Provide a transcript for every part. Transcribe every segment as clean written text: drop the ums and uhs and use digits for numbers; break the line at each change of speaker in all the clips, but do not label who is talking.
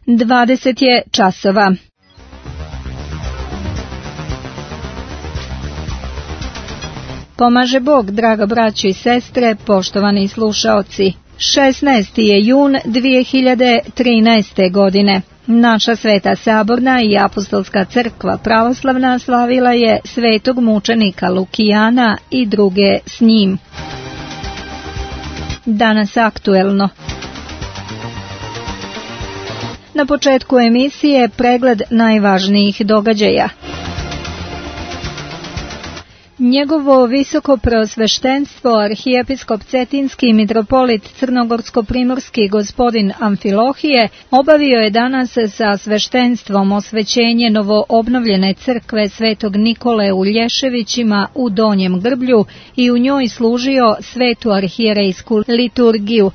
20 je časova. Pomaže Bog, draga braćo i sestre, poštovani slušaoci. 16. je jun 2013. godine. Naša Sveta Saborna i Apostolska crkva pravoslavna slavila je svetog mučenika Lukijana i druge s njim. Danas aktuelno. Na početku emisije pregled najvažnijih događaja. Njegovo visoko preosveštenstvo arhijepiskop Cetinski mitropolit Crnogorsko-primorski gospodin Amfilohije obavio je danas sa sveštenstvom osvećenje novoobnovljene crkve Svetog Nikole u Lješevićima u Donjem Grblju i u njoj služio svetu arhijerejsku liturgiju.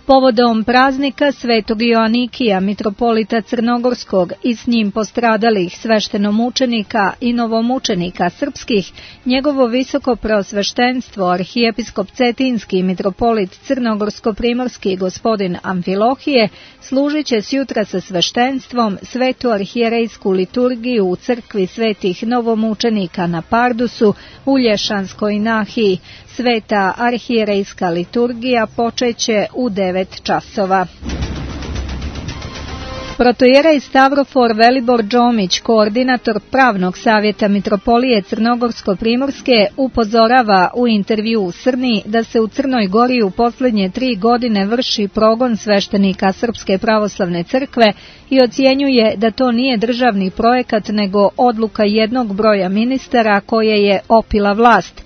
Povodom praznika Svetog Joanikija, mitropolita Crnogorskog i s njim postradalih sveštenomučenika i novomučenika srpskih, njegovo visoko preosveštenstvo arhijepiskop Cetinski mitropolit Crnogorsko-primorski gospodin Amfilohije služit će sjutra sa sveštenstvom svetu arhijerejsku liturgiju u crkvi svetih novomučenika na Pardusu u Lješanskoj nahiji. Sveta arhijerejska liturgija počeće u 9 časova. Protojerej Stavrofor Velibor Džomić, koordinator pravnog savjeta mitropolije Crnogorsko-primorske, upozorava u intervju u Srni da se u Crnoj Gori u posljednje 3 godine vrši progon sveštenika Srpske pravoslavne crkve i ocjenjuje da to nije državni projekat nego odluka jednog broja ministara koje je opila vlast.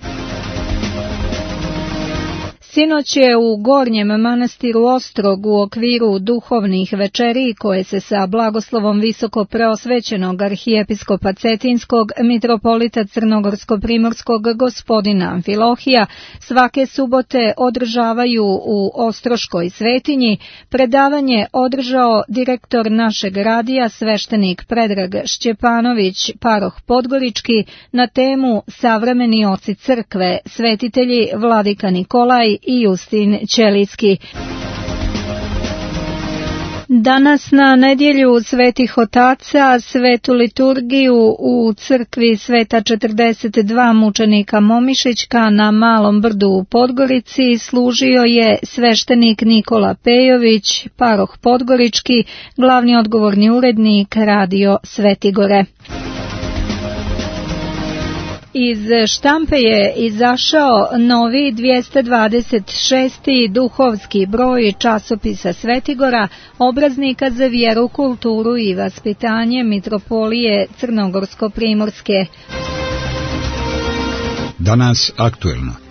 Sinoć je u Gornjem manastiru Ostrog u okviru duhovnih večeri koje se sa blagoslovom visoko preosvećenog arhijepiskopa Cetinskog mitropolita Crnogorsko-primorskog gospodina Amfilohija svake subote održavaju u Ostroškoj svetinji, predavanje održao direktor našeg radija sveštenik Predrag Šćepanović, paroh Podgorički, na temu Savremeni oci crkve, svetitelji Vladika Nikolaj i Justin Ćelijski. Danas na nedjelju svetih otaca svetu liturgiju u crkvi Sveta 42 mučenika Momišićka na Malom Brdu u Podgorici služio je sveštenik Nikola Pejović, paroh Podgorički, glavni odgovorni urednik Radio Svetigore. Iz štampe je izašao novi 226. duhovski broj časopisa Svetigora, obraznika za vjeru, kulturu i vaspitanje mitropolije Crnogorsko-primorske.
Danas aktuelno.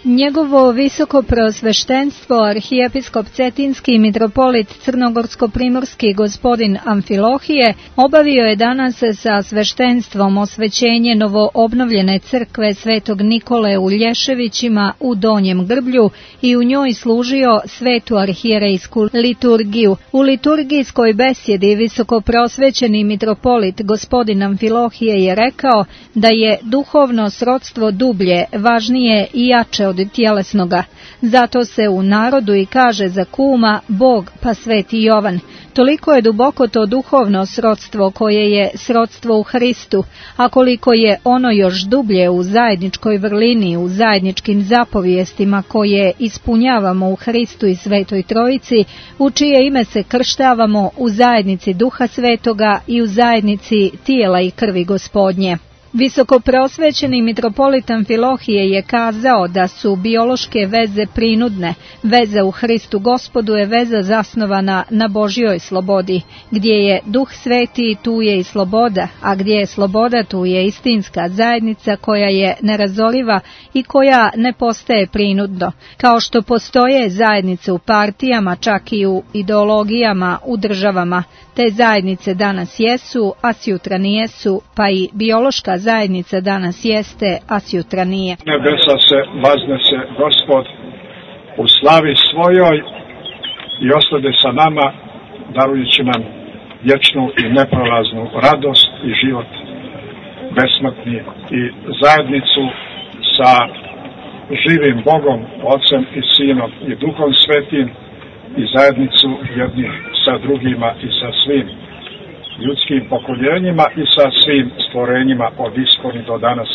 Njegovo visoko preosveštenstvo arhijepiskop Cetinski mitropolit Crnogorsko-primorski gospodin Amfilohije obavio je danas sa sveštenstvom osvećenje novoobnovljene crkve Svetog Nikole u Lješevićima u Donjem Grblju i u njoj služio svetu arhijerejsku liturgiju. U liturgijskoj besjedi visoko preosvećeni mitropolit gospodin Amfilohije je rekao da je duhovno srodstvo dublje, važnije i jače od tjelesnoga. Zato se u narodu i kaže za kuma Bog pa Sveti Jovan. Toliko je duboko to duhovno srodstvo koje je srodstvo u Hristu, a koliko je ono još dublje u zajedničkoj vrlini, u zajedničkim zapovijestima koje ispunjavamo u Hristu i Svetoj Trojici, u čije ime se krštavamo u zajednici Duha Svetoga i u zajednici tijela i krvi Gospodnje. Visoko preosvećeni mitropolit Amfilohije je kazao da su biološke veze prinudne. Veza u Hristu Gospodu je veza zasnovana na Božjoj slobodi. Gdje je Duh Sveti, tu je i sloboda, a gdje je sloboda, tu je istinska zajednica koja je nerazoriva i koja ne postaje prinudno. Kao što postoje zajednice u partijama, čak i u ideologijama, u državama. Te zajednice danas jesu, a sjutra nijesu, pa i biološka zajednica danas jeste, a sjutra nije.
Nebesa se vaznese Gospod u slavi svojoj i ostade sa nama, darujući nam vječnu i neprolaznu radost i život besmrtni i zajednicu sa živim Bogom, Otcem i Sinom i Duhom Svetim i zajednicu jednih sa drugima i sa svim ljudskim pokoljenjima i sa svim stvorenjima od iskoni do danas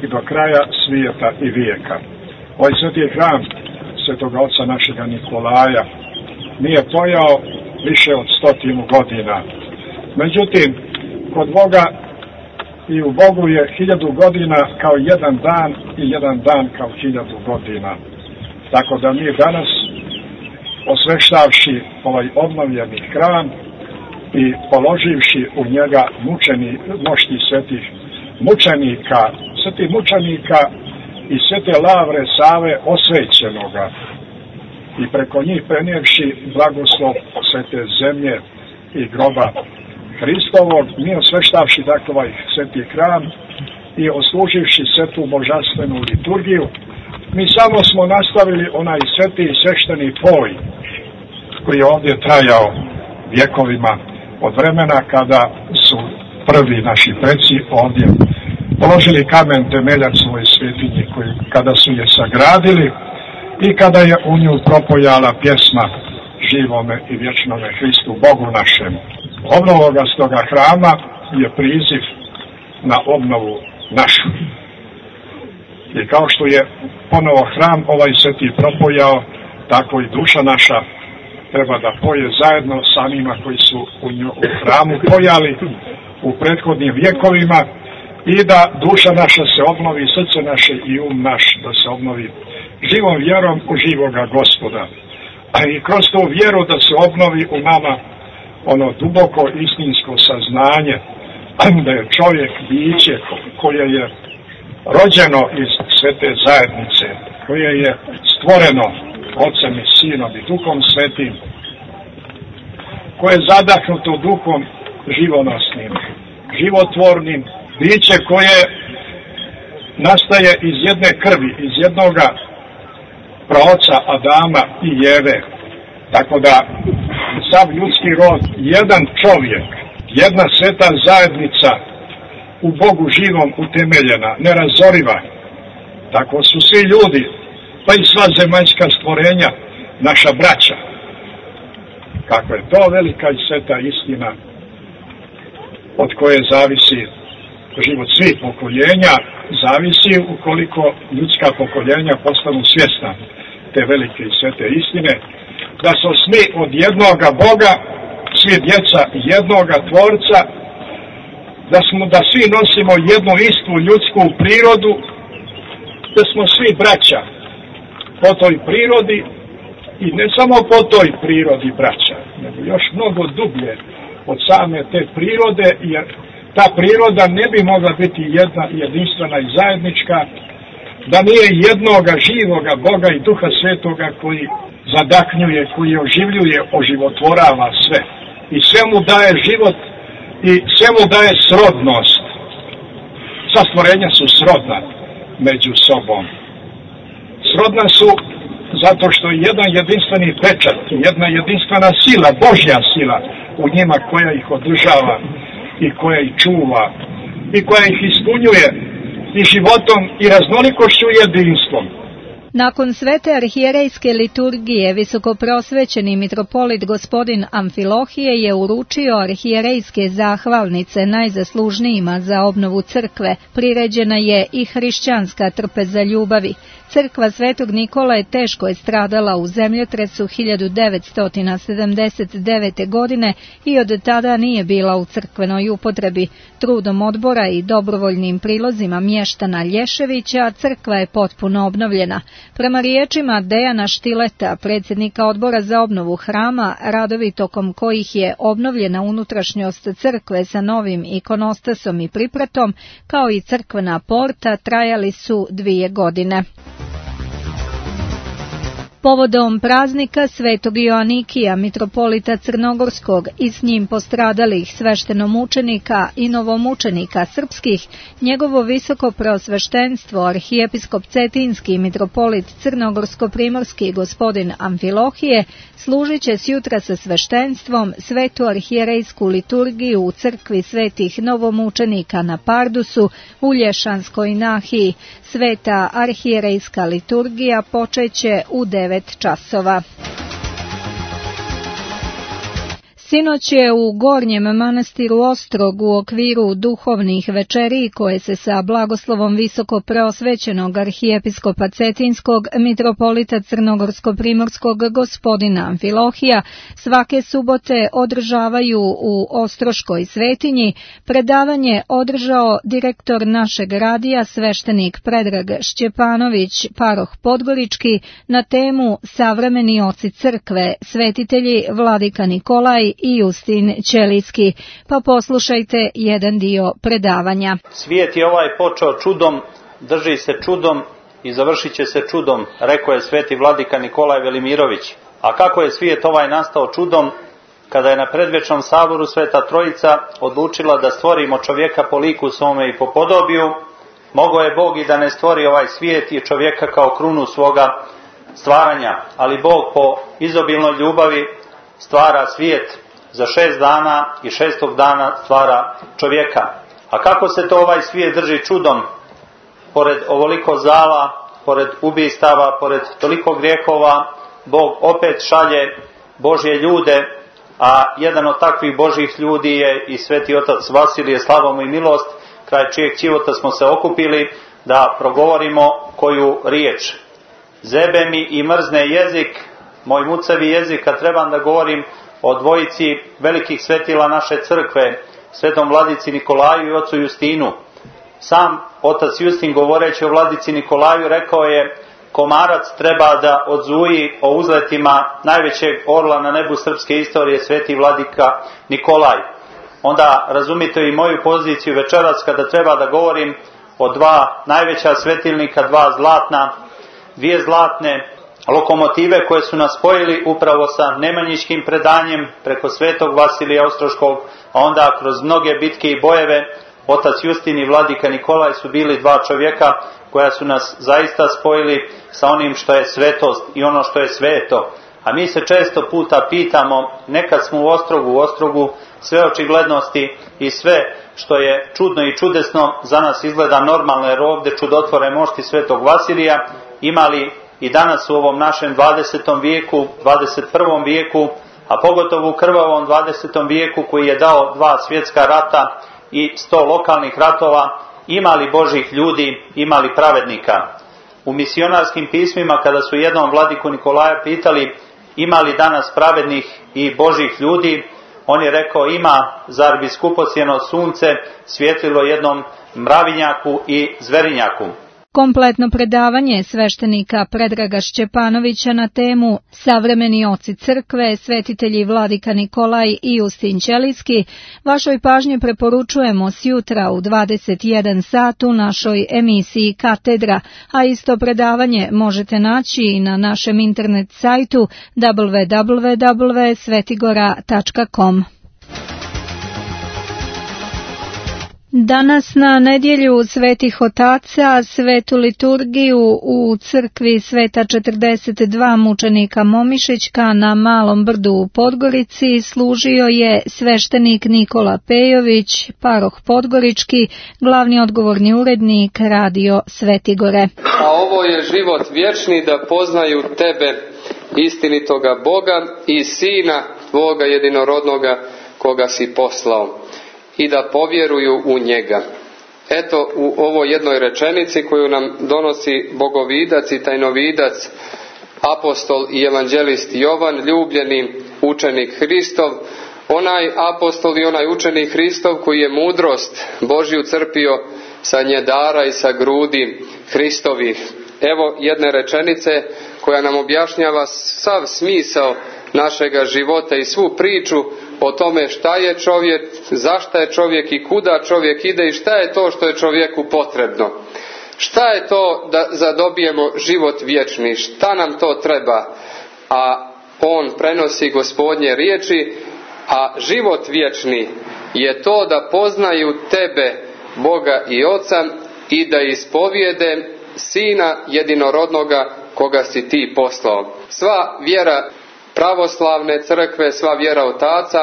i do kraja svijeta i vijeka. Ovaj sveti hram Svetog Oca našega Nikolaja nije pojao više od 100 godina. Međutim, kod Boga i u Bogu je 1000 godina kao jedan dan i jedan dan kao 1000 godina. Tako da mi danas, osveštavši ovaj obnovljeni hram i položivši u njega mošti svetih mučenika i svete lavre Save osvećenoga i preko njih prenijevši blagoslov svete zemlje i groba Hristovog, mi osveštavši dakle ovaj sveti hram i osluživši svetu božanstvenu liturgiju, mi samo smo nastavili onaj sveti i svešteni poj koji je ovdje trajao vjekovima od vremena kada su prvi naši preci ovdje položili kamen temeljac ovoj svetinji, kada su je sagradili i kada je u nju propojala pjesma živome i vječnome Hristu Bogu našemu. Obnova stoga hrama je priziv na obnovu našu. I kao što je ponovo hram ovaj sveti propojao, tako i duša naša treba da poje zajedno sa onima koji su u hramu pojali u prethodnim vjekovima i da duša naša se obnovi, srce naše i naš da se obnovi živom vjerom u živoga Gospoda. A i kroz tu vjeru da se obnovi u nama ono duboko istinsko saznanje da je čovjek biće koje je rođeno iz svete zajednice, koje je stvoreno Otcem i Sinom i Duhom Svetim, koje je zadahnuto duhom živonosnim, životvornim, biće koje nastaje iz jedne krvi, iz jednoga praoca Adama i Jeve. Tako da sav ljudski rod, jedan čovjek, jedna sveta zajednica u Bogu živom utemeljena, nerazoriva. Tako su svi ljudi, pa i sva zemaljska stvorenja, naša braća. Kakva je to velika i sveta istina od koje zavisi život svih pokoljenja, zavisi ukoliko ljudska pokoljenja postanu svjesna te velike i svete istine, da smo svi od jednoga Boga, svi djeca jednoga Tvorca, da svi nosimo jednu istu ljudsku prirodu, da smo svi braća po toj prirodi i ne samo po toj prirodi braća, nego još mnogo dublje od same te prirode, jer ta priroda ne bi mogla biti jedna jedinstvena i zajednička, da nije jednoga živoga Boga i Duha Svetoga koji zadahnjuje, koji oživljuje, oživotvorava sve. I sve mu daje život i sve mu daje srodnost. Sva stvorenja su srodna među sobom. Srodna su zato što je jedan jedinstveni pečat, jedna jedinstvena sila, Božja sila u njima koja ih održava i koja ih čuva i koja ih ispunjuje i životom i raznolikošću i jedinstvom.
Nakon svete arhijerejske liturgije, visokoprosvećeni mitropolit gospodin Amfilohije je uručio arhijerejske zahvalnice najzaslužnijima za obnovu crkve. Priređena je i hrišćanska trpeza ljubavi. Crkva Svetog Nikole teško je stradala u zemljotresu 1979. godine i od tada nije bila u crkvenoj upotrebi. Trudom odbora i dobrovoljnim prilozima mještana Lješevića crkva je potpuno obnovljena. Prema riječima Dejana Štileta, predsjednika odbora za obnovu hrama, radovi tokom kojih je obnovljena unutrašnjost crkve sa novim ikonostasom i pripratom, kao i crkvena porta, trajali su 2 godine. Povodom praznika Svetog Joanikija, mitropolita Crnogorskog i s njim postradalih sveštenomučenika i novomučenika srpskih, njegovo visoko preosveštenstvo arhijepiskop Cetinski mitropolit Crnogorsko-primorski gospodin Amfilohije služit će sjutra sa sveštenstvom svetu arhijerejsku liturgiju u crkvi svetih novomučenika na Pardusu u Lješanskoj nahiji. Sveta arhijerejska liturgija počeće u 9 časova. Sinoć je u Gornjem manastiru Ostrog u okviru duhovnih večeri koje se sa blagoslovom visoko preosvećenog arhijepiskopa Cetinskog mitropolita Crnogorsko-primorskog gospodina Amfilohija svake subote održavaju u Ostroškoj svetinji, predavanje održao direktor našeg radija sveštenik Predrag Šćepanović, paroh Podgorički, na temu Savremeni oci crkve, svetitelji Vladika Nikolaj i Justin Ćelijski. Pa poslušajte jedan dio predavanja.
Svijet je ovaj počeo čudom, drži se čudom i završit će se čudom, rekao je sveti Vladika Nikolaj Velimirović. A kako je svijet ovaj nastao čudom? Kada je na predvečnom saboru Sveta Trojica odlučila da stvorimo čovjeka po liku svome i po podobiju, mogao je Bog i da ne stvori ovaj svijet i čovjeka kao krunu svoga stvaranja, ali Bog po izobilnoj ljubavi stvara svijet za 6 dana i 6. dana stvara čovjeka. A kako se to ovaj svijet drži čudom? Pored ovoliko zala, pored ubistava, pored toliko grijehova, Bog opet šalje Božje ljude, a jedan od takvih Božjih ljudi je i sveti otac Vasilije, slava mu i milost, kraj čijeg ćivota smo se okupili da progovorimo koju riječ. Zebe mi i mrzne jezik, moj mucavi jezik, kad trebam da govorim o dvojici velikih svetila naše crkve, svetom Vladici Nikolaju i ocu Justinu. Sam otac Justin, govoreći o Vladici Nikolaju, rekao je: komarac treba da odzuji o uzletima najvećeg orla na nebu srpske istorije, sveti Vladika Nikolaj. Onda razumite i moju poziciju večeras kada treba da govorim o 2 najveća svetilnika, 2 zlatne lokomotive koje su nas spojili upravo sa nemanjičkim predanjem preko svetog Vasilija Ostroškog, a onda kroz mnoge bitke i bojeve otac Justin i Vladika Nikolaj su bili 2 čovjeka koja su nas zaista spojili sa onim što je svetost i ono što je sveto. A mi se često puta pitamo, nekad smo u Ostrogu sve očiglednosti i sve što je čudno i čudesno za nas izgleda normalno, jer ovdje čudotvore mošti svetog Vasilija imali i danas u ovom našem 20. vijeku, 21. vijeku, a pogotovo u krvavom 20. vijeku koji je dao 2 svjetska rata i 100 lokalnih ratova, imali Božih ljudi, imali pravednika. U misionarskim pismima kada su jednom Vladiku Nikolaja pitali ima li danas pravednih i Božih ljudi, on je rekao: ima, zar bi skupocjeno sunce svjetlilo jednom mravinjaku i zverinjaku.
Kompletno predavanje sveštenika Predraga Šćepanovića na temu Savremeni oci crkve, svetitelji Vladika Nikolaj i Justin Ćelijski vašoj pažnji preporučujemo sjutra u 21 sat u našoj emisiji Katedra, a isto predavanje možete naći i na našem internet sajtu www.svetigora.com. Danas na nedjelju svetih otaca svetu liturgiju u crkvi Sveta 42 mučenika Momišićka na Malom Brdu u Podgorici služio je sveštenik Nikola Pejović, paroh Podgorički, glavni odgovorni urednik Radio Svetigore.
A ovo je život vječni, da poznaju tebe, istinitoga Boga i Sina tvoga jedinorodnoga koga si poslao, i da povjeruju u njega. Eto, u ovoj jednoj rečenici koju nam donosi bogovidac i tajnovidac, apostol i evanđelist Jovan, ljubljeni učenik Hristov, onaj apostol i onaj učenik Hristov koji je mudrost Božju crpio sa njedara i sa grudi Hristovih. Evo jedne rečenice koja nam objašnjava sav smisao našega života i svu priču o tome šta je čovjek, zašto je čovjek i kuda čovjek ide i šta je to što je čovjeku potrebno. Šta je to da zadobijemo život vječni, šta nam to treba? A on prenosi Gospodnje riječi, a život vječni je to da poznaju tebe, Boga i Oca, i da ispovijede Sina jedinorodnoga koga si ti poslao. Sva vjera pravoslavne crkve, sva vjera otaca,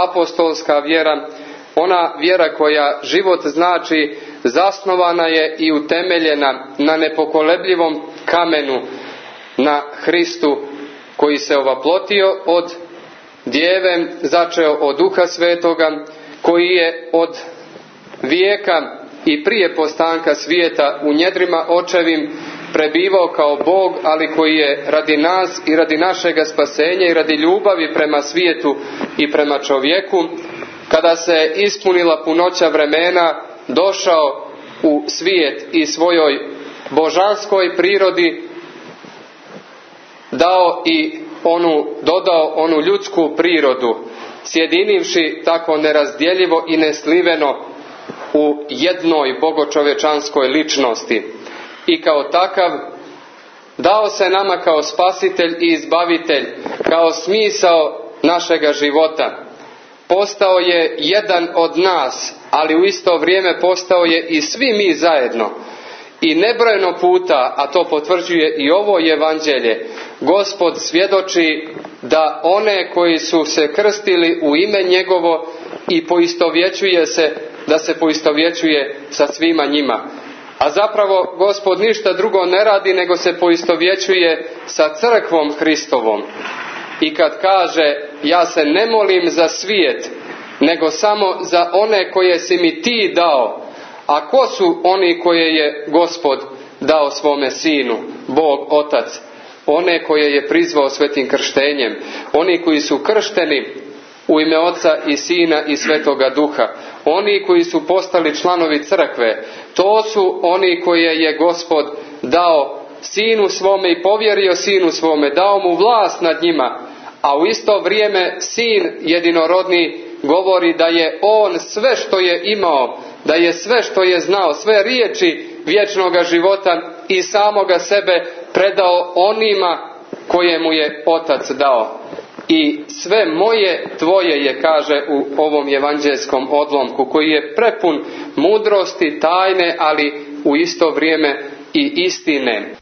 apostolska vjera, ona vjera koja život znači zasnovana je i utemeljena na nepokolebljivom kamenu, na Hristu koji se ovaplotio od djeve, začeo od Duha Svetoga, koji je od vijeka i prije postanka svijeta u njedrima očevim prebivao kao Bog, ali koji je radi nas i radi našega spasenja i radi ljubavi prema svijetu i prema čovjeku, kada se ispunila punoća vremena, došao u svijet i svojoj božanskoj prirodi dodao onu ljudsku prirodu, sjedinivši tako nerazdjeljivo i nesliveno u jednoj bogočovječanskoj ličnosti. I kao takav dao se nama kao spasitelj i izbavitelj, kao smisao našega života. Postao je jedan od nas, ali u isto vrijeme postao je i svi mi zajedno. I nebrojeno puta, a to potvrđuje i ovo evanđelje, Gospod svjedoči da one koji su se krstili u ime njegovo i poistovjećuje se, da se poistovjećuje sa svima njima. A zapravo Gospod ništa drugo ne radi nego se poistovjećuje sa crkvom Hristovom. I kad kaže, ja se ne molim za svijet, nego samo za one koje si mi ti dao. A ko su oni koje je Gospod dao svome sinu, Bog Otac? One koje je prizvao svetim krštenjem, oni koji su kršteni u ime Oca i Sina i Svetoga Duha, oni koji su postali članovi crkve, to su oni koje je Gospod dao sinu svome i povjerio sinu svome, dao mu vlast nad njima, a u isto vrijeme sin jedinorodni govori da je on sve što je imao, da je sve što je znao, sve riječi vječnoga života i samoga sebe predao onima koje mu je Otac dao. I sve moje tvoje je, kaže u ovom evanđelskom odlomku, koji je prepun mudrosti, tajne, ali u isto vrijeme i istine.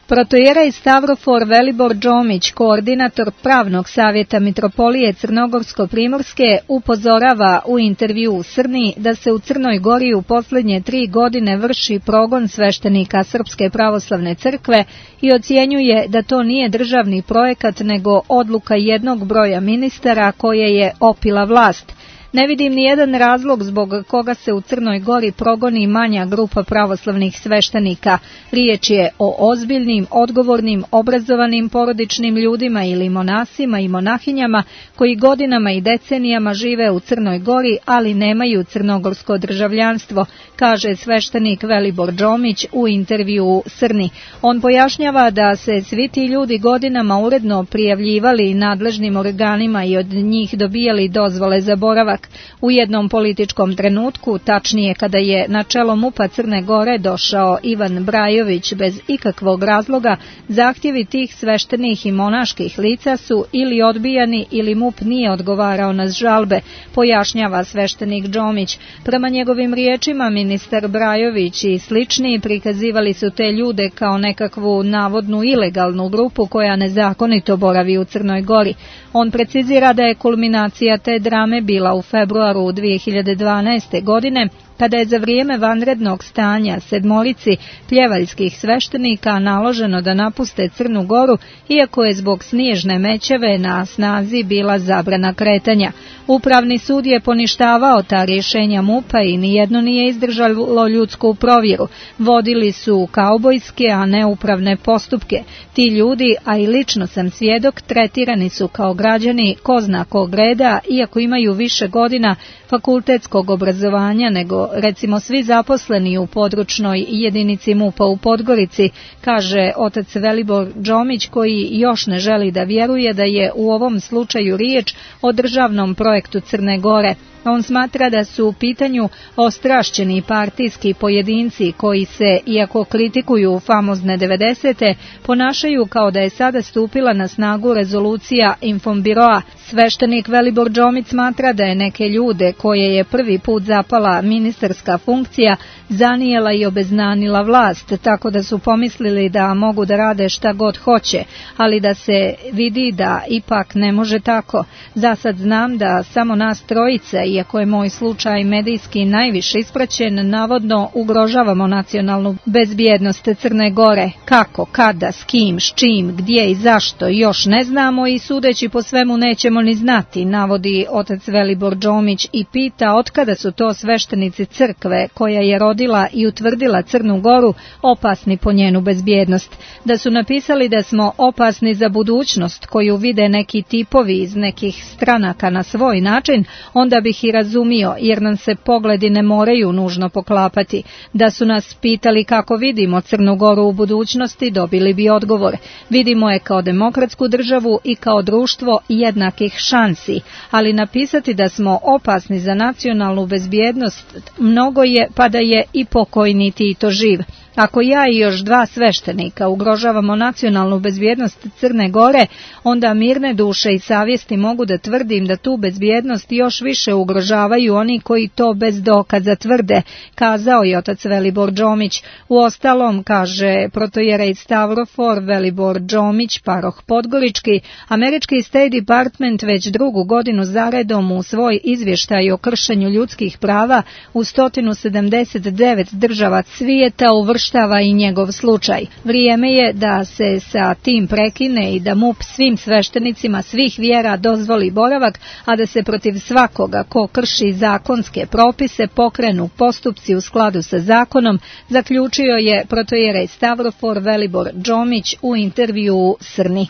Protoijerej Stavrofor Velibor Đomić, koordinator pravnog savjeta Mitropolije Crnogorsko-Primorske, upozorava u intervju u Srni da se u Crnoj Gori u posljednje 3 godine vrši progon sveštenika Srpske pravoslavne crkve i ocjenjuje da to nije državni projekat nego odluka jednog broja ministara koje je opila vlast. Ne vidim ni jedan razlog zbog koga se u Crnoj Gori progoni manja grupa pravoslavnih sveštenika. Riječ je o ozbiljnim, odgovornim, obrazovanim porodičnim ljudima ili monasima i monahinjama koji godinama i decenijama žive u Crnoj Gori, ali nemaju crnogorsko državljanstvo, kaže sveštenik Velibor Đomić u intervju u Srni. On pojašnjava da se svi ti ljudi godinama uredno prijavljivali nadležnim organima i od njih dobijali dozvole za boravak. U jednom političkom trenutku, tačnije kada je na čelo MUP-a Crne Gore došao Ivan Brajović bez ikakvog razloga, zahtjevi tih sveštenih i monaških lica su ili odbijani ili MUP nije odgovarao na žalbe, pojašnjava sveštenik Đomić. Prema njegovim riječima, ministar Brajović i slični prikazivali su te ljude kao nekakvu navodnu ilegalnu grupu koja nezakonito boravi u Crnoj Gori. On precizira da je kulminacija te drame bila u februaru 2012. godine, kada je za vrijeme vanrednog stanja 7 pljevaljskih sveštenika naloženo da napuste Crnu Goru, iako je zbog snježne mećave na snazi bila zabrana kretanja. Upravni sud je poništavao ta rješenja MUP-a i nijedno nije izdržalo ljudsku provjeru. Vodili su kaubojske, a ne upravne postupke. Ti ljudi, a i lično sam svjedok, tretirani su kao građani ko zna kog reda, iako imaju više godina fakultetskog obrazovanja nego recimo svi zaposleni u područnoj jedinici MUP-a u Podgorici, kaže otac Velibor Đomić, koji još ne želi da vjeruje da je u ovom slučaju riječ o državnom projektu Crne Gore. On smatra da su u pitanju ostrašćeni partijski pojedinci koji se, iako kritikuju famozne 90. ponašaju kao da je sada stupila na snagu rezolucija Infonbiroa Sveštenik Velibor Džomić smatra da je neke ljude koje je prvi put zapala ministarska funkcija zanijela i obeznanila vlast, tako da su pomislili da mogu da rade šta god hoće, ali da se vidi da ipak ne može tako. Za sad znam da samo nas trojica, iako je moj slučaj medijski najviše ispraćen, navodno ugrožavamo nacionalnu bezbjednost Crne Gore. Kako, kada, s kim, s čim, gdje i zašto još ne znamo i sudeći po svemu nećemo ni znati, navodi otac Velibor Džomić i pita otkada su to sveštenici crkve koja je rodila i utvrdila Crnu Goru opasni po njenu bezbjednost. Da su napisali da smo opasni za budućnost koju vide neki tipovi iz nekih stranaka na svoj način, onda bih i razumio, jer nam se pogledi ne moraju nužno poklapati. Da su nas pitali kako vidimo Crnu Goru u budućnosti, dobili bi odgovor. Vidimo je kao demokratsku državu i kao društvo jednakih šansi, ali napisati da smo opasni za nacionalnu bezbjednost mnogo je, pa da je i pokojni Tito živ. Ako ja i još 2 sveštenika ugrožavamo nacionalnu bezbjednost Crne Gore, onda mirne duše i savjesti mogu da tvrdim da tu bezbjednost još više ugrožavaju oni koji to bez dokaza tvrde, kazao je otac Velibor Džomić. Uostalom, kaže protojerej Stavrofor Velibor Džomić, paroh Podgorički, američki State Department već 2. godinu zaredom u svoj izvještaj o kršenju ljudskih prava u 179 država svijeta uvrštava i njegov slučaj. Vrijeme je da se sa tim prekine i da MUP svim sveštenicima svih vjera dozvoli boravak, a da se protiv svakoga ko krši zakonske propise pokrenu postupci u skladu sa zakonom, zaključio je protojerej Stavrofor Velibor Džomić u intervjuu Srni.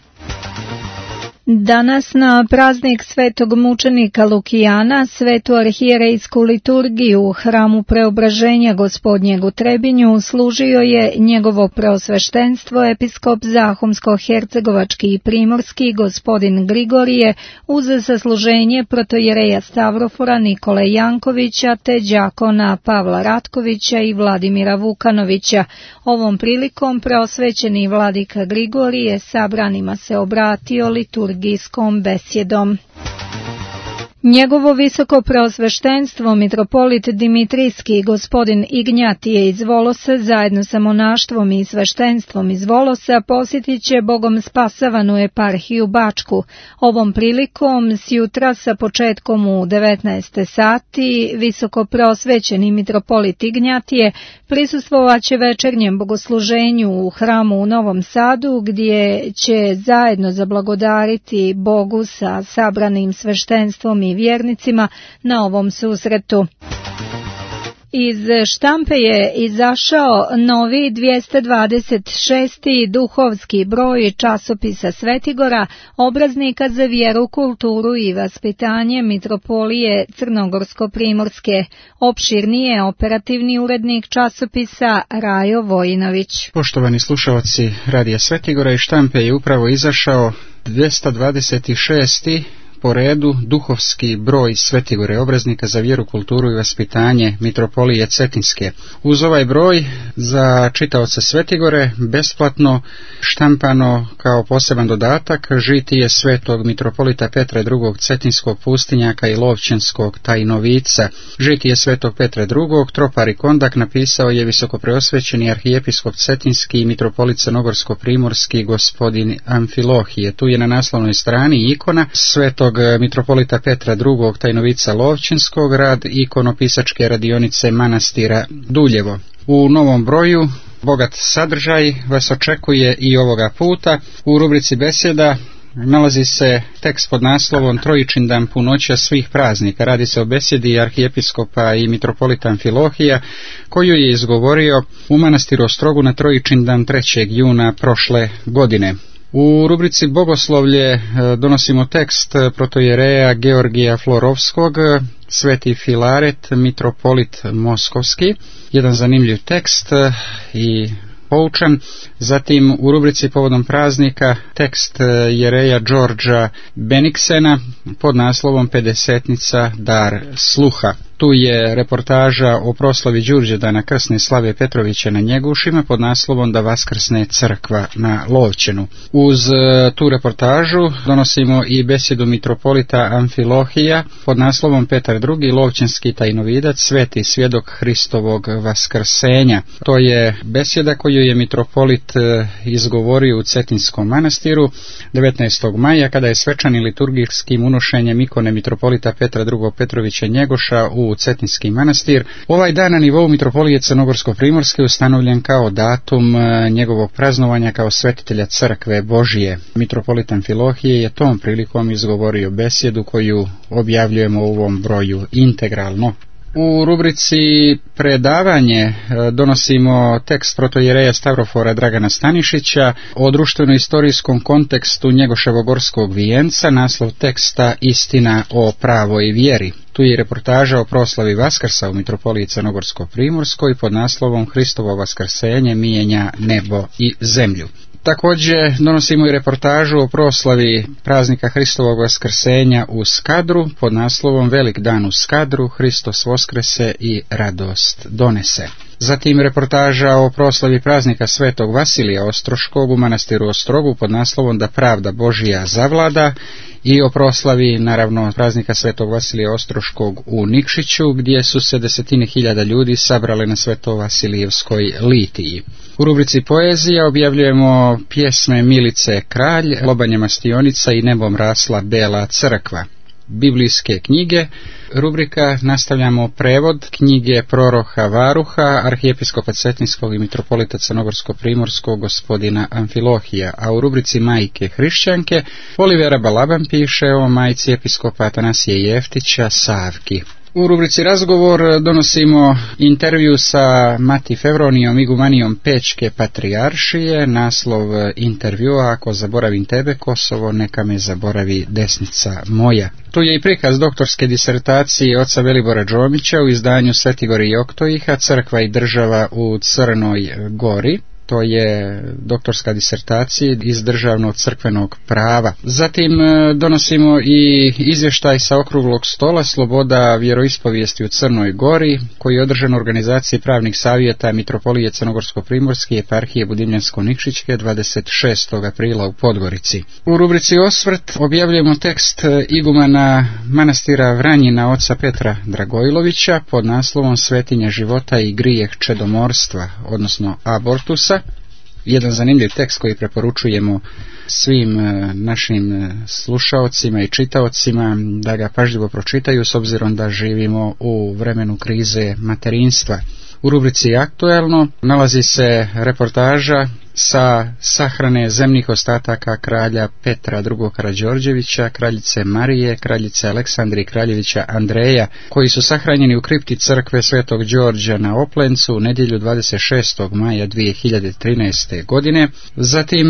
Danas na praznik svetog mučenika Lukijana, svetu arhijerejsku liturgiju u hramu Preobraženja Gospodnjeg u Trebinju služio je njegovo preosveštenstvo episkop Zahumsko-hercegovački i primorski gospodin Grigorije uz sasluženje protojereja Stavrofora Nikole Jankovića te đakona Pavla Ratkovića i Vladimira Vukanovića. Ovom prilikom preosvećeni vladika Grigorije sabranima se obratio liturgijskom besjedom. Njegovo visoko preosveštenstvo mitropolit Dimitrijski gospodin Ignjatije iz Volosa zajedno sa monaštvom i sveštenstvom iz Volosa posjetit će Bogom spasavanu eparhiju Bačku. Ovom prilikom sjutra sa početkom u 19 sati visoko preosvećeni mitropolit Ignjatije prisustvovaće večernjem bogosluženju u hramu u Novom Sadu, gdje će zajedno zablagodariti Bogu sa sabranim sveštenstvom i vjernicima na ovom susretu. Iz štampe je izašao novi 226. duhovski broj časopisa Svetigora, obraznika za vjeru, kulturu i vaspitanje mitropolije Crnogorsko-primorske. Opširnije operativni urednik časopisa Rajo Vojinović.
Poštovani slušalci Radija Svetigora, iz štampe je upravo izašao 226. po redu duhovski broj Svetigore, obraznika za vjeru, kulturu i vaspitanje mitropolije Cetinske. Uz ovaj broj za čitaoce Svetigore besplatno štampano kao poseban dodatak žitije svetog mitropolita Petra II. Cetinskog pustinjaka i Lovćenskog tajnovica. Žitije svetog Petra II. Tropar i Kondak napisao je visokopreosvećeni arhijepiskop Cetinski i mitropolit Crnogorsko-primorski gospodin Amfilohije. Tu je na naslovnoj strani ikona svetog mitropolita Petra II. Tajnovica Lovćenskog, rad ikonopisačke radionice manastira Duljevo. U novom broju bogat sadržaj vas očekuje i ovoga puta. U rubrici besjeda nalazi se tekst pod naslovom Trojičindan punoća svih praznika. Radi se o besjedi arhijepiskopa i mitropolita Amfilohija koju je izgovorio u manastiru Ostrogu na Trojičindan 3. juna prošle godine. U rubrici Bogoslovlje donosimo tekst protojereja Georgija Florovskog, Sveti Filaret, mitropolit Moskovski. Jedan zanimljiv tekst i poučan. Zatim u rubrici povodom praznika tekst jereja Đorđa Beniksena pod naslovom Pedesetnica dar sluha. Tu je reportaža o proslavi Đurđevdana krsne Slave Petrovića na Njegušima pod naslovom Da vaskrsne crkva na Lovćenu. Uz tu reportažu donosimo i besjedu mitropolita Amfilohija pod naslovom Petar II. Lovćenski tajnovidac, sveti svjedok Hristovog vaskrsenja. To je besjeda koju je mitropolit izgovorio u Cetinskom manastiru 19. maja kada je svečanim liturgijskim unošenjem ikone mitropolita Petra II. Petrovića Njegoša u Cetinski manastir. Ovaj dan na nivou mitropolije Crnogorsko-primorske ustanovljen kao datum njegovog praznovanja kao svetitelja crkve Božije. Mitropolit Amfilohije je tom prilikom izgovorio besjedu koju objavljujemo u ovom broju integralno. U rubrici predavanje donosimo tekst protojereja Stavrofora Dragana Stanišića o društveno-istorijskom kontekstu Njegoševog gorskog vijenca, naslov teksta Istina o pravoj vjeri. Tu je reportaža o proslavi Vaskrsa u mitropoliji Crnogorsko-primorskoj pod naslovom Hristovo vaskrsenje mijenja nebo i zemlju. Također donosimo i reportažu o proslavi praznika Hristovog vaskrsenja u Skadru pod naslovom Velik dan u Skadru, Hristos voskrese i radost donese. Zatim reportaža o proslavi praznika Svetog Vasilija Ostroškog u manastiru Ostrogu pod naslovom Da pravda Božija zavlada i o proslavi naravno praznika Svetog Vasilija Ostroškog u Nikšiću gdje su se desetine hiljada ljudi sabrale na Svetovasilijevskoj litiji. U rubrici poezija objavljujemo pjesme Milice Kralj, Lobanje Mastionica i Nebom rasla bela crkva. Biblijske knjige, rubrika nastavljamo prevod knjige proroka Varuha, arhijepiskopa Cetinskog i mitropolita Crnogorsko-primorskog gospodina Amfilohija, a u rubrici Majke hrišćanke Olivera Balaban piše o majci episkopa Atanasije Jeftića Savki. U rubrici razgovor donosimo intervju sa Mati Fevronijom igumanijom Pečke patrijaršije, naslov intervjua Ako zaboravim tebe Kosovo, neka me zaboravi desnica moja. Tu je i prikaz doktorske disertacije oca Velibora Džomića u izdanju Svetigor i Oktojiha, crkva i država u Crnoj Gori. To je doktorska disertacija iz državnog crkvenog prava. Zatim donosimo i izvještaj sa okruglog stola Sloboda vjeroispovijesti u Crnoj Gori, koji je održan u organizaciji pravnih savjeta mitropolije Crnogorsko-primorske i eparhije Budimljansko-Nikšićke 26. aprila u Podgorici. U rubrici Osvrt objavljujemo tekst igumana manastira Vranjina oca Petra Dragojlovića pod naslovom Svetinja života i grijeh čedomorstva, odnosno abortusa. Jedan zanimljiv tekst koji preporučujemo svim našim slušaocima i čitaocima da ga pažljivo pročitaju s obzirom da živimo u vremenu krize materinstva. U rubrici Aktuelno nalazi se reportaža sa sahrane zemnih ostataka kralja Petra II. Karađorđevića, kraljice Marije, kraljice Aleksandre i kraljevića Andreja, koji su sahranjeni u kripti crkve Svetog Đorđa na Oplencu u nedjelju 26. maja 2013. godine. Zatim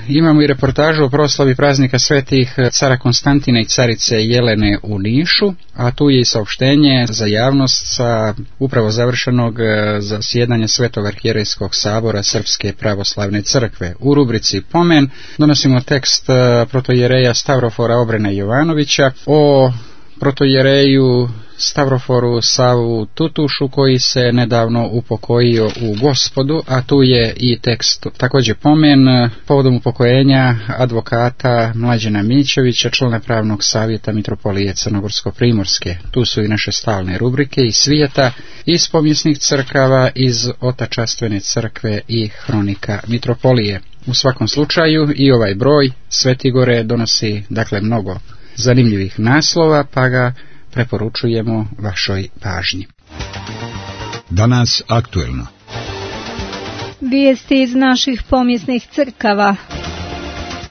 imamo i reportažu o proslavi praznika svetih cara Konstantina i carice Jelene u Nišu, a tu je i saopštenje za javnost sa upravo završenog zasjedanja Svetog arhijerejskog sabora Srpske pravoslavne crkve. U rubrici Pomen donosimo tekst protojereja Stavrofora Obrena Jovanovića o protojereju Stavroforu Savu Tutušu koji se nedavno upokojio u Gospodu, a tu je i tekst također Pomen povodom upokojenja advokata Mlađana Mićevića, člana pravnog savjeta mitropolije Crnogorsko-primorske. Tu su i naše stalne rubrike iz svijeta, iz povijesnih crkava, iz Otačastvene crkve i hronika mitropolije. U svakom slučaju i ovaj broj Svetigore donosi dakle mnogo zanimljivih naslova, pa ga preporučujemo vašoj pažnji.
Danas aktuelno.
Vijesti iz naših povijesnih crkava.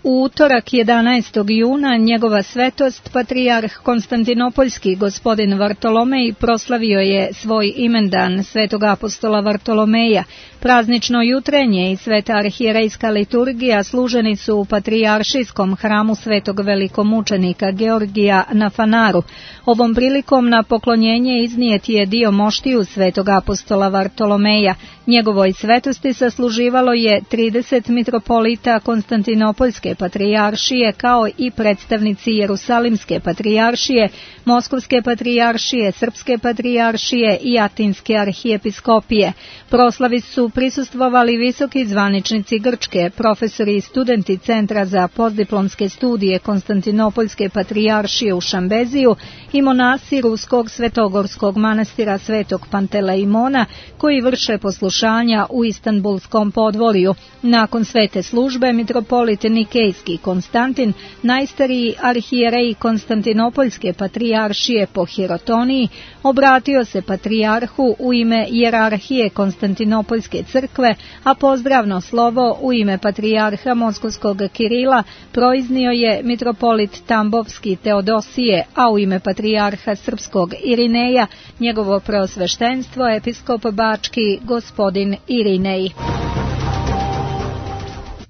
U utorak 11. juna njegova svetost, patrijarh Konstantinopoljski gospodin Vartolomej proslavio je svoj imendan svetog apostola Vartolomeja. Praznično jutrenje i sveta arhijerejska liturgija služeni su u patrijaršijskom hramu svetog velikomučenika Georgija na Fanaru. Ovom prilikom na poklonjenje iznijet je dio moštiju svetog apostola Vartolomeja. Njegovoj svetosti sasluživalo je 30 mitropolita Konstantinopoljske patrijaršije kao i predstavnici Jerusalimske patrijaršije, Moskovske patrijaršije, Srpske patrijaršije i Atinske arhijepiskopije. Proslavi su prisustvovali visoki zvaničnici Grčke, profesori i studenti Centra za postdiplomske studije Konstantinopoljske patrijaršije u Šambeziju i monasi Ruskog svetogorskog manastira Svetog Panteleimona koji vrše poslušanja u Istanbulskom podvorju. Nakon svete službe, mitropolit Nikejski Konstantin, najstariji arhijerej Konstantinopoljske patrijaršije po hirotoniji, obratio se patrijarhu u ime jerarhije Konstantinopoljske crkve, a pozdravno slovo u ime patrijarha Moskovskog Kirila proiznio je mitropolit Tambovski Teodosije, a u ime patrijarha Srpskog Irineja njegovo preosveštenstvo episkop Bački gospodin Irinej.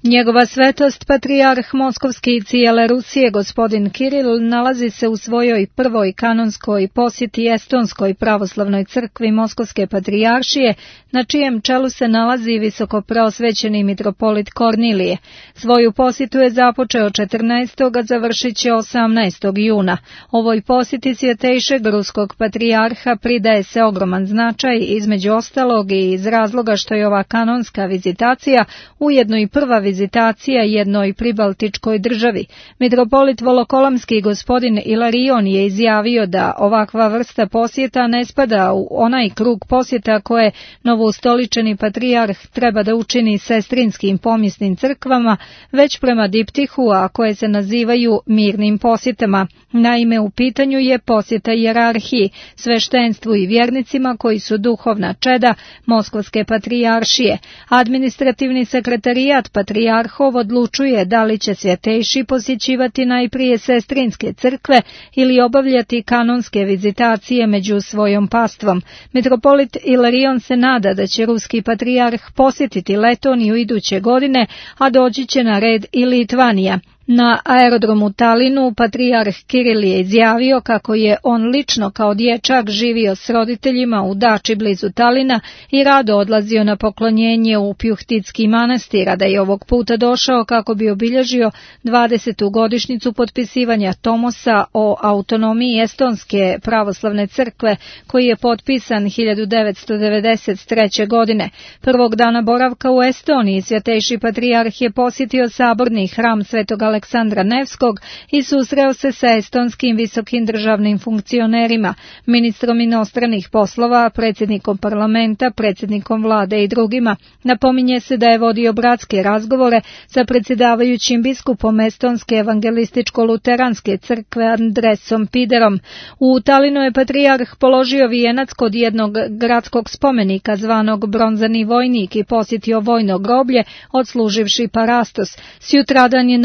Njegova svetost, patrijarh Moskovski i cijele Rusije, gospodin Kiril, nalazi se u svojoj prvoj kanonskoj posjeti Estonskoj pravoslavnoj crkvi Moskovske patrijaršije, na čijem čelu se nalazi visokopreosvećeni mitropolit Kornilije. Svoju posjetu je započeo 14. a završit će 18. juna. Ovoj posjeti svjetejšeg ruskog patrijarha pridaje se ogroman značaj, između ostalog i iz razloga što je ova kanonska vizitacija ujedno i prva vizitacija jednoj pribaltičkoj državi. Mitropolit Volokolamski gospodin Ilarion je izjavio da ovakva vrsta posjeta ne spada u onaj krug posjeta koje novoustoličeni patrijarh treba da učini sestrinskim pomjesnim crkvama, već prema diptihu, a koje se nazivaju mirnim posjetama. Naime, u pitanju je posjeta hijerarhiji, sveštenstvu i vjernicima koji su duhovna čeda Moskovske patrijaršije. Administrativni sekretarijat patrijarhov odlučuje da li će svjetejši posjećivati najprije sestrinske crkve ili obavljati kanonske vizitacije među svojom pastvom. Mitropolit Ilarion se nada da će ruski patrijarh posjetiti Letoniju iduće godine, a doći će na red i Litvanija. Na aerodromu Talinu patrijarh Kiril je izjavio kako je on lično kao dječak živio s roditeljima u dači blizu Talina i rado odlazio na poklonjenje u Pjuhtitski manastir, a da je ovog puta došao kako bi obilježio 20. godišnjicu potpisivanja Tomosa o autonomiji Estonske pravoslavne crkve, koji je potpisan 1993. godine. Prvog dana boravka u Estoniji svjetejši patrijarh je posjetio saborni hram Svetog Aleksandra Nevskog i susreo se sa estonskim visokim državnim funkcionerima, ministrom inostranih poslova, predsjednikom parlamenta, predsjednikom vlade i drugima. Napominje se da je vodio bratske razgovore sa predsjedavajućim biskupom Estonske evangelističko-luteranske crkve Andresom Piderom. U Talinu je patrijarh položio vijenac kod jednog gradskog spomenika zvanog Bronzani vojnik i posjetio vojno groblje, odsluživši parastos. Sjutradan je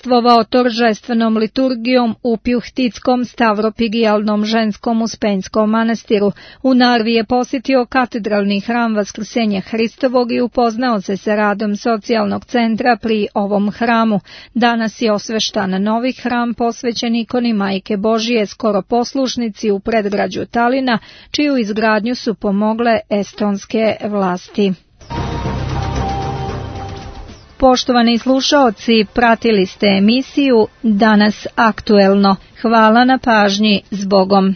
načalstvovao toržestvenom liturgijom u Pjuhtitskom stavropigijalnom ženskom uspenjskom manastiru. U Narvi je posjetio katedralni hram Vaskrsenja Hristovog i upoznao se sa radom socijalnog centra pri ovom hramu. Danas je osveštan novi hram posvećen ikoni Majke Božije, skoro poslušnici u predgrađu Talina, čiju izgradnju su pomogle estonske vlasti. Poštovani slušaoci, pratili ste emisiju Danas aktuelno. Hvala na pažnji, zbogom.